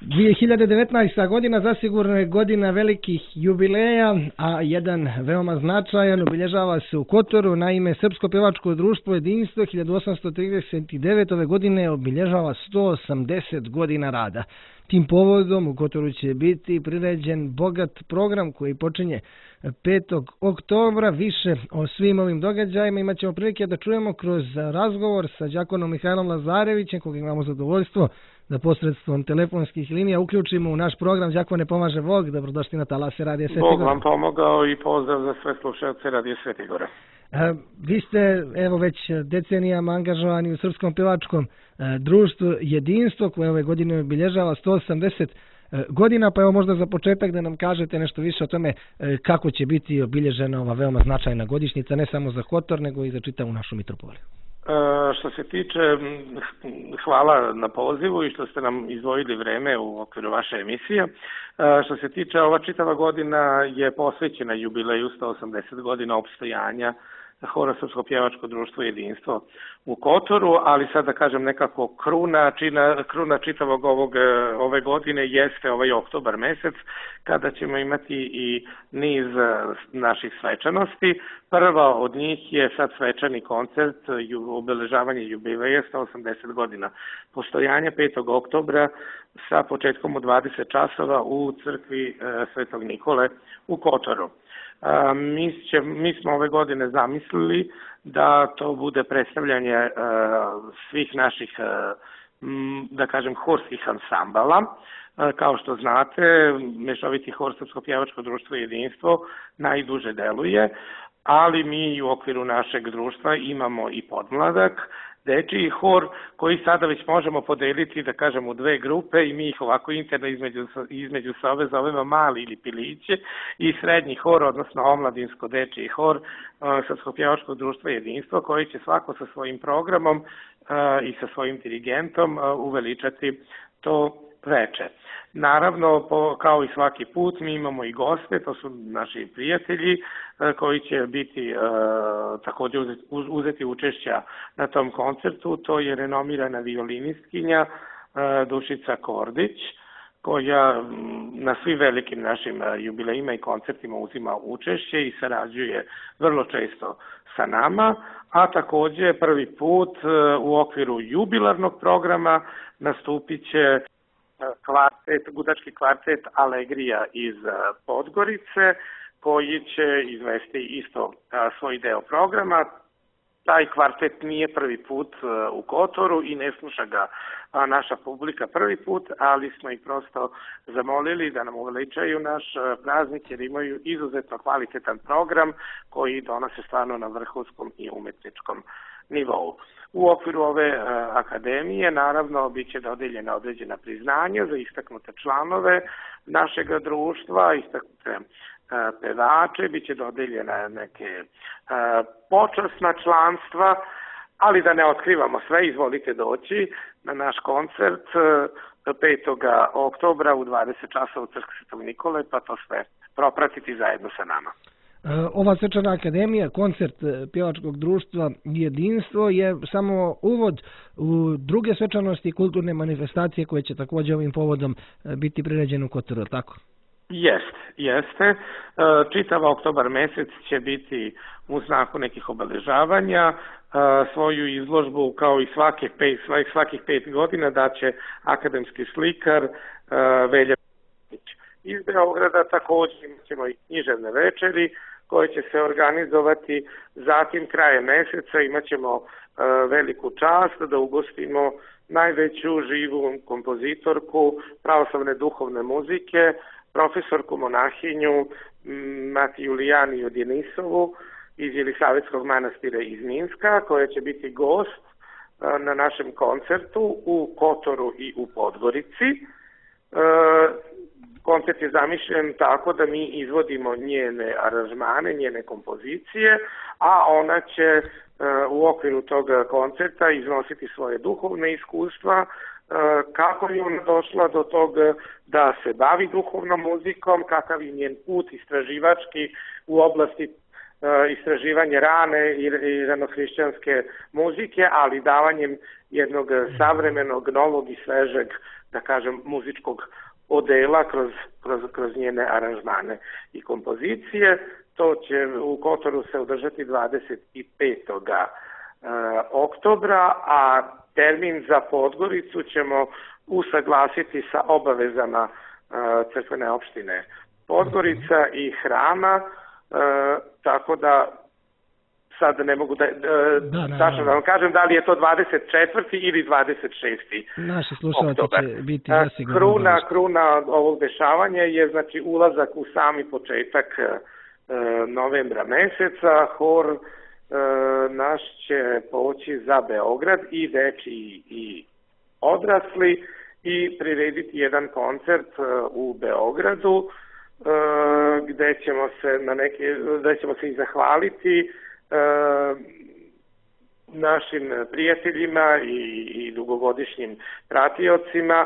2019. godina zasigurno je godina velikih jubileja, a jedan veoma značajan obilježava se u Kotoru. Naime, Srpsko pjevačko društvo Jedinstvo 1839. ove godine obilježava 180 godina rada. Tim povodom u Kotoru će biti priređen bogat program koji počinje 5. oktobra. Više o svim ovim događajima imat ćemo prilike da čujemo kroz razgovor sa đakonom Mihajlom Lazarevićem, kog imamo zadovoljstvo da posredstvom telefonskih linija uključimo u naš program. Đakone, pomaže Bog, dobrodošli na talase Radija Sveti Gore. Bog vam pomogao i pozdrav za sve slušalce Radija Sveti Gore. Vi ste evo već decenijama angažovani u Srpskom pjevačkom društvu Jedinstvo, koje ove godine obilježava 180 godina, pa evo možda za početak da nam kažete nešto više o tome kako će biti obilježena ova veoma značajna godišnjica, ne samo za Kotor, nego i za čitavu našu mitropoliju. Što se tiče, hvala na pozivu i što ste nam izdvojili vreme u okviru vaše emisije. Što se tiče, ova čitava godina je posvećena jubileju 180 godina opstojanja Hora Srpsko pjevačko društvo Jedinstvo u Kotoru, ali sad da kažem nekako kruna čitavog ove godine jeste ovaj oktobar mesec, kada ćemo imati i niz naših svečanosti. Prva od njih je sad svečani koncert, obeležavanje jubileja 180 godina postojanja 5. oktobra sa početkom u 20 časova u crkvi Svetog Nikole u Kotoru. Mi smo ove godine zamislili da to bude predstavljanje svih naših, da kažem, horskih ansambala. Kao što znate, mešoviti hor Srpsko pjevačko društvo Jedinstvo najduže deluje, ali mi u okviru našeg društva imamo i podmladak, dečiji hor, koji sada već možemo podeliti, da kažem, u dve grupe i mi ih ovako interno između sebe zovemo mali ili piliće, i srednji hor, odnosno omladinsko dečiji hor Srpsko pjevačko društvo Jedinstvo, koji će svako sa svojim programom i sa svojim dirigentom uveličati to veče. Naravno, kao i svaki put, mi imamo i goste, to su naši prijatelji koji će biti također uzeti učešća na tom koncertu. To je renomirana violinistkinja Dušica Kordić, koja na svim velikim našim jubilejima i koncertima uzima učešće i sarađuje vrlo često sa nama, a također prvi put u okviru jubilarnog programa nastupit će gudački kvartet Alegrija iz Podgorice, koji će izvesti isto svoj deo programa. Taj kvartet nije prvi put u Kotoru i ne sluša ga naša publika prvi put, ali smo ih prosto zamolili da nam uveličaju naš praznik, jer imaju izuzetno kvalitetan program koji donose stvarno na vrhunskom i umetničkom nivou. U okviru ove akademije, naravno, bit će dodeljena određena priznanja za istaknute članove našeg društva, istaknute pevače, bit će dodeljena neke počasna članstva, ali da ne otkrivamo sve, izvolite doći na naš koncert 5. oktobra u 20 časova u crkvi Svetog Nikole, pa to sve propratiti zajedno sa nama. Ova svečana akademija, koncert pjevačkog društva Jedinstvo, je samo uvod u druge svečanosti i kulturne manifestacije koje će također ovim povodom biti priređene u Kotoru, tako? Jeste. Čitav oktobar mesec će biti u znaku nekih obeležavanja. Svoju izložbu, kao i svakih 5 godina, daće akademski slikar Velja iz Beograda. Također ćemo i književne večeri koje će se organizovati. Zatim krajem meseca imat ćemo veliku čast da ugostimo najveću živu kompozitorku pravoslavne duhovne muzike, profesorku monahinju Matiju Lijaniju Djenisovu iz Jelisavetskog manastira iz Minska, koja će biti gost na našem koncertu u Kotoru i u Podgorici. Koncert je zamišljen tako da mi izvodimo njene aranžmane, njene kompozicije, a ona će u okviru tog koncerta iznositi svoje duhovne iskustva, kako je ona došla do toga da se bavi duhovnom muzikom, kakav je njen put istraživački u oblasti istraživanje rane i ranohrišćanske muzike, ali davanjem jednog savremenog, novog i svežeg da kažem, muzičkog odela kroz njene aranžmane i kompozicije. To će u Kotoru se održati 25. oktobra, a termin za Podgoricu ćemo usaglasiti sa obavezama crkvene opštine Podgorica i hrama, tako da sad ne mogu da vam kažem da li je to 24. ili 26. Naši slušalci će biti zasigurno. Kruna ovog dešavanja je znači ulazak u sami početak novembra meseca. Hor naš će poći za Beograd, i dečiji i odrasli, i prirediti jedan koncert u Beogradu gde ćemo se i zahvaliti našim prijateljima i dugogodišnjim pratiocima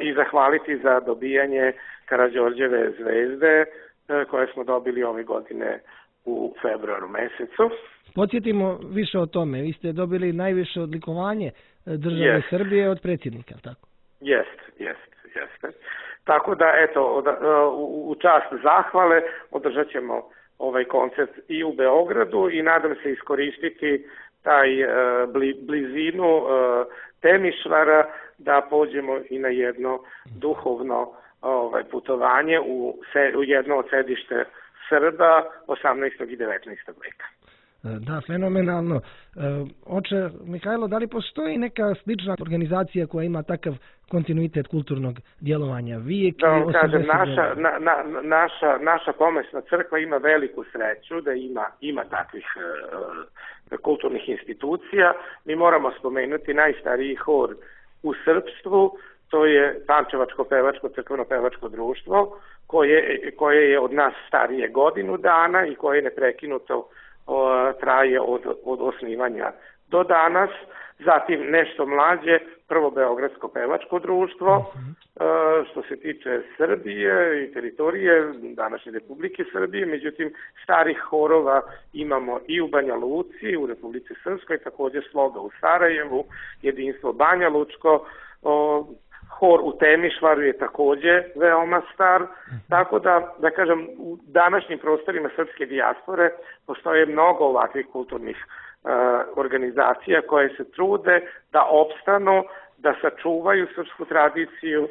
i zahvaliti za dobijanje Karađorđeve zvezde koje smo dobili ove godine u februaru mesecu. Podsjetimo više o tome. Vi ste dobili najviše odlikovanje države Srbije od predsjednika, tako? Jeste. Tako da, eto, u čast zahvale održat ćemo ovaj koncert i u Beogradu i nadam se iskoristiti taj blizinu Temišvara da pođemo i na jedno duhovno putovanje u jedno od sedište Srba 18. i 19. veka. Da, fenomenalno. Oče Mihajlo, da li postoji neka slična organizacija koja ima takav kontinuitet kulturnog djelovanja? Da vam kažem, naša pomesna crkva ima veliku sreću da ima takvih kulturnih institucija. Mi moramo spomenuti najstariji hor u srpstvu, to je Pančevačko pevačko crkveno pevačko društvo, koje je od nas starije godinu dana i koje neprekinuto traje od osnivanja do danas. Zatim nešto mlađe, prvo Beogradsko pevačko društvo, što se tiče Srbije i teritorije današnje Republike Srbije, međutim starih horova imamo i u Banja Luci, u Republici Srpskoj, također Sloga u Sarajevu, Jedinstvo Banja Lučko, hor u Temišvaru je također veoma star, tako da kažem, u današnjim prostorima srpske dijaspore postoje mnogo ovakvih kulturnih organizacija koje se trude da opstanu, da sačuvaju srpsku tradiciju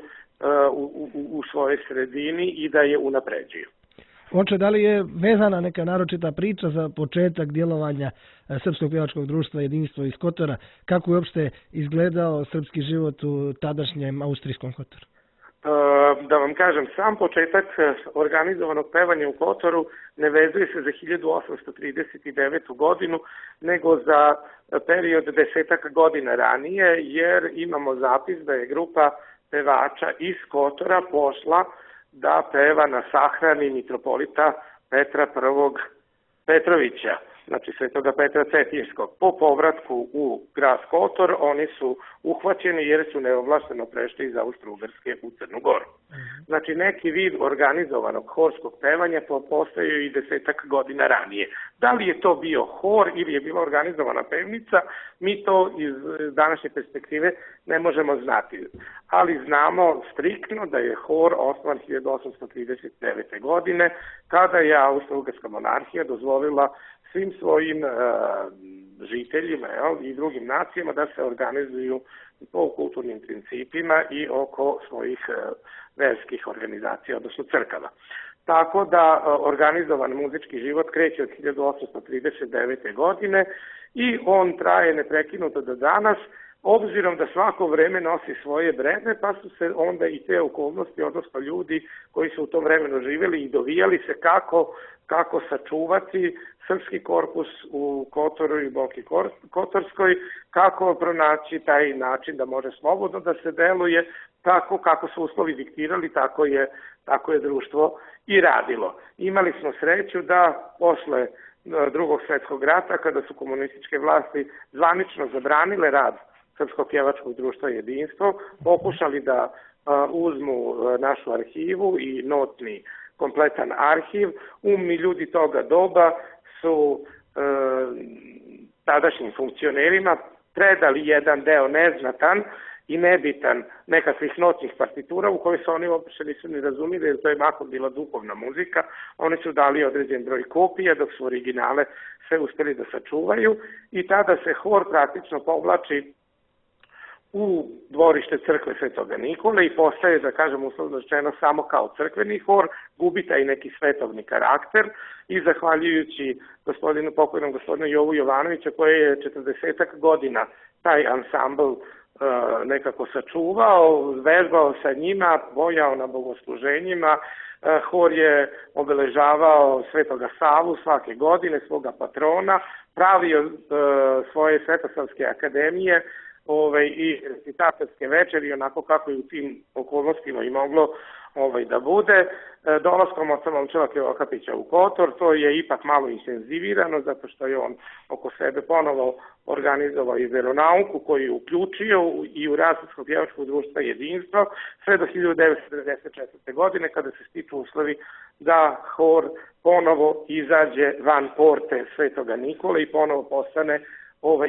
u svojoj sredini i da je unapređuju. Oče, da li je vezana neka naročita priča za početak djelovanja Srpskog pjevačkog društva Jedinstvo iz Kotora? Kako je uopšte izgledao srpski život u tadašnjem austrijskom Kotoru? Da vam kažem, sam početak organizovanog pevanja u Kotoru ne vezuje se za 1839. godinu, nego za period 10 godina ranije, jer imamo zapis da je grupa pevača iz Kotora pošla da peva na sahrani mitropolita Petra I. Petrovića, znači Svetoga Petra Cetinjskog. Po povratku u grad Kotor oni su uhvaćeni jer su neovlašteno prešli iz Austro-Ugarske u Crnu Goru. Znači neki vid organizovanog horskog pevanja postoji i 10 godina ranije. Da li je to bio hor ili je bila organizovana pevnica, mi to iz današnje perspektive ne možemo znati. Ali znamo striktno da je hor osnovan 1839. godine, kada je Austro-Ugarska monarhija dozvolila svim svojim žiteljima i drugim nacijama da se organizuju po kulturnim principima i oko svojih verskih organizacija, odnosno crkava. Tako da organizovan muzički život kreće od 1839. godine i on traje neprekinuto do danas, obzirom da svako vreme nosi svoje breme, pa su se onda i te okolnosti, odnosno ljudi koji su u tom vremenu živjeli i dovijali se kako sačuvati srpski korpus u Kotoru i Boki Kotorskoj, kako pronaći taj način da može slobodno da se deluje, tako kako su uslovi diktirali, tako je društvo i radilo. Imali smo sreću da posle Drugog svjetskog rata, kada su komunističke vlasti zvanično zabranile rad Srpskog pjevačkog društva Jedinstvo, pokušali da uzmu našu arhivu i notni kompletan arhiv. Umni ljudi toga doba su tadašnjim funkcionerima predali jedan deo neznatan i nebitan nekakvih noćnih partitura u kojoj se oni uopće nisu ni razumili, jer to je mahom bila duhovna muzika. Oni su dali određen broj kopija, dok su originale sve uspeli da sačuvaju, i tada se hor praktično povlači u dvorište crkve Svetoga Nikole i postaje, da kažem uslovno rečeno, samo kao crkveni hor, gubi taj neki svetovni karakter, i zahvaljujući pokojnom gospodinu Jovu Jovanovića, koji je 40 godina taj ansambl nekako sačuvao, vežbao sa njima, bojao na bogosluženjima. Hor je obeležavao Svetoga Savu svake godine, svoga patrona, pravio svoje svetosavske akademije i recitatorske večeri, onako kako je u tim okolnostima i moglo da bude. Dolaskom oca Momčila Krivokapića u Kotor to je ipak malo intenzivirano, zato što je on oko sebe ponovo organizovao i veronauku koju je uključio i u rad Srpsko-pjevačkog društva Jedinstvo, sve do 1994. godine, kada se stiču uslovi da hor ponovo izađe van porte Svetoga Nikole i ponovo postane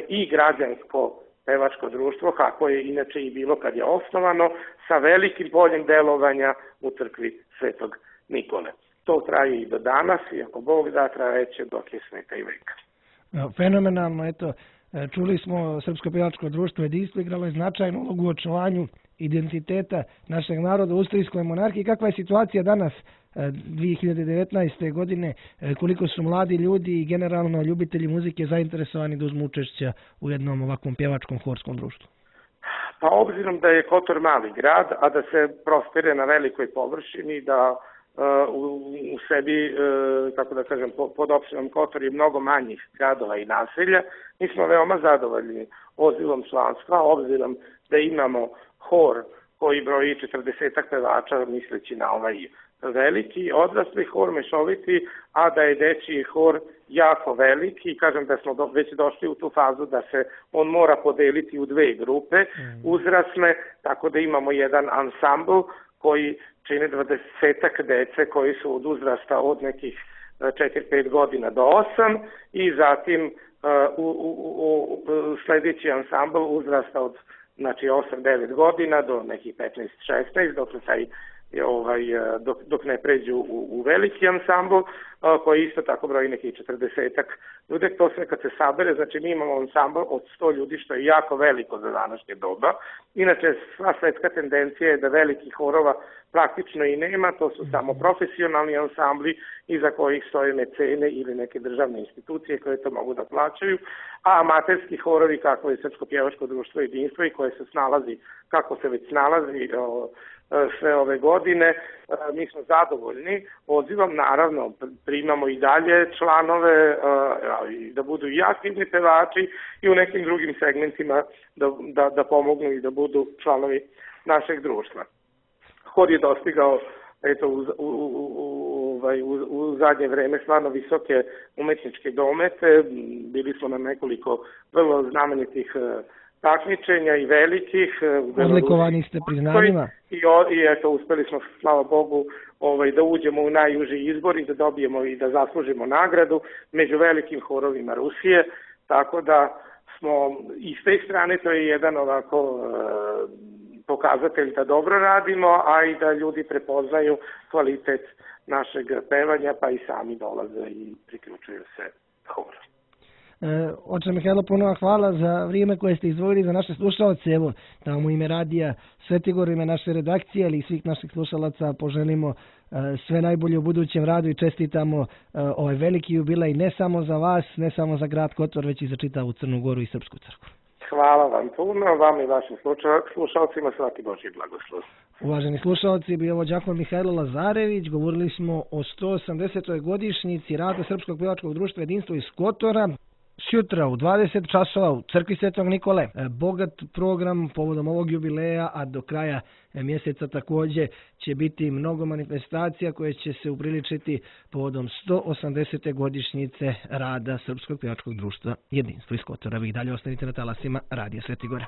i građansko pevačko društvo, kako je inače i bilo kad je osnovano, sa velikim poljem delovanja u crkvi Svetog Nikole. To traje i do danas, i ako Bog da, trajeće dok je sveta i veka. Fenomenalno, eto, čuli smo Srpsko pevačko društvo Jedinstvo igralo je značajnu ulogu u očuvanju identiteta našeg naroda u austrijskoj monarhiji. Kakva je situacija danas 2019. godine, koliko su mladi ljudi i generalno ljubitelji muzike zainteresovani da uzmu učešća u jednom ovakvom pjevačkom horskom društvu? Pa obzirom da je Kotor mali grad, a da se prostire na velikoj površini, da u sebi, kako da kažem, pod opštinom Kotor je mnogo manjih gradova i naselja, mi smo veoma zadovoljni odzivom članstva, obzirom da imamo hor koji broji 40 pevača, misleći na ovaj veliki odrasli hor, mešoviti, a da je dečiji hor jako veliki, i kažem da smo već došli u tu fazu da se on mora podeliti u dve grupe uzrasne, tako da imamo jedan ansambl koji čine 20 dece koji su od uzrasta od nekih 4-5 godina do 8, i zatim sljedeći ansambl uzrasta od 8-9 godina do nekih 15-16, dok ne pređu u veliki ansambl, koji isto tako broji nekih 40 ljudi. To sve kad se sabere, znači mi imamo ansambl od 100 ljudi, što je jako veliko za današnje doba. Inače, sva svetska tendencija je da velikih horova praktično i nema, to su samo profesionalni ansambli iza kojih stoje mecene ili neke državne institucije koje to mogu da plaćaju, a amaterski horovi, kako je Srpsko pjevačko društvo Jedinstvo i koje se snalazi, kako se već snalazi sve ove godine, mi smo zadovoljni odzivom. Naravno, primamo i dalje članove da budu i aktivni pevači i u nekim drugim segmentima da pomognu i da budu članovi našeg društva. Hor je dostigao u zadnje vreme stvarno visoke umetničke domete. Bili smo na nekoliko vrlo znamenitih takmičenja i velikih. Odlikovani ste priznanjima. I eto, uspeli smo, slava Bogu, da uđemo u najuži izbor i da dobijemo i da zaslužimo nagradu među velikim horovima Rusije, tako da smo i s te strane, to je jedan ovako pokazatelj da dobro radimo, a i da ljudi prepoznaju kvalitet našeg pevanja, pa i sami dolaze i priključuju se horu. Oče Mihajlo, puno hvala za vrijeme koje ste izdvojili za naše slušalce. Evo, da vam u ime radija Svetigor, ime naše redakcije, ali i svih naših slušalaca poželimo sve najbolje u budućem radu i čestitamo ovaj veliki jubilej ne samo za vas, ne samo za grad Kotor, već i za čitavu Crnu Goru i Srpsku crkvu. Hvala vam puno, vam i vašim slušalcima svaki Božji blagoslov. Uvaženi slušalci, bio ovo đakon Mihajlo Lazarević. Govorili smo o 180. godišnjici rada Srpskog pevačkog društva Jedinstvo iz Kotora. Sutra u 20 časova u crkvi Svetog Nikole. Bogat program povodom ovog jubileja, a do kraja mjeseca također će biti mnogo manifestacija koje će se upriličiti povodom 180. godišnjice rada Srpskog pevačkog društva Jedinstvo iz Kotora. Vi dalje ostanite na talasima Radija Sveti Gore.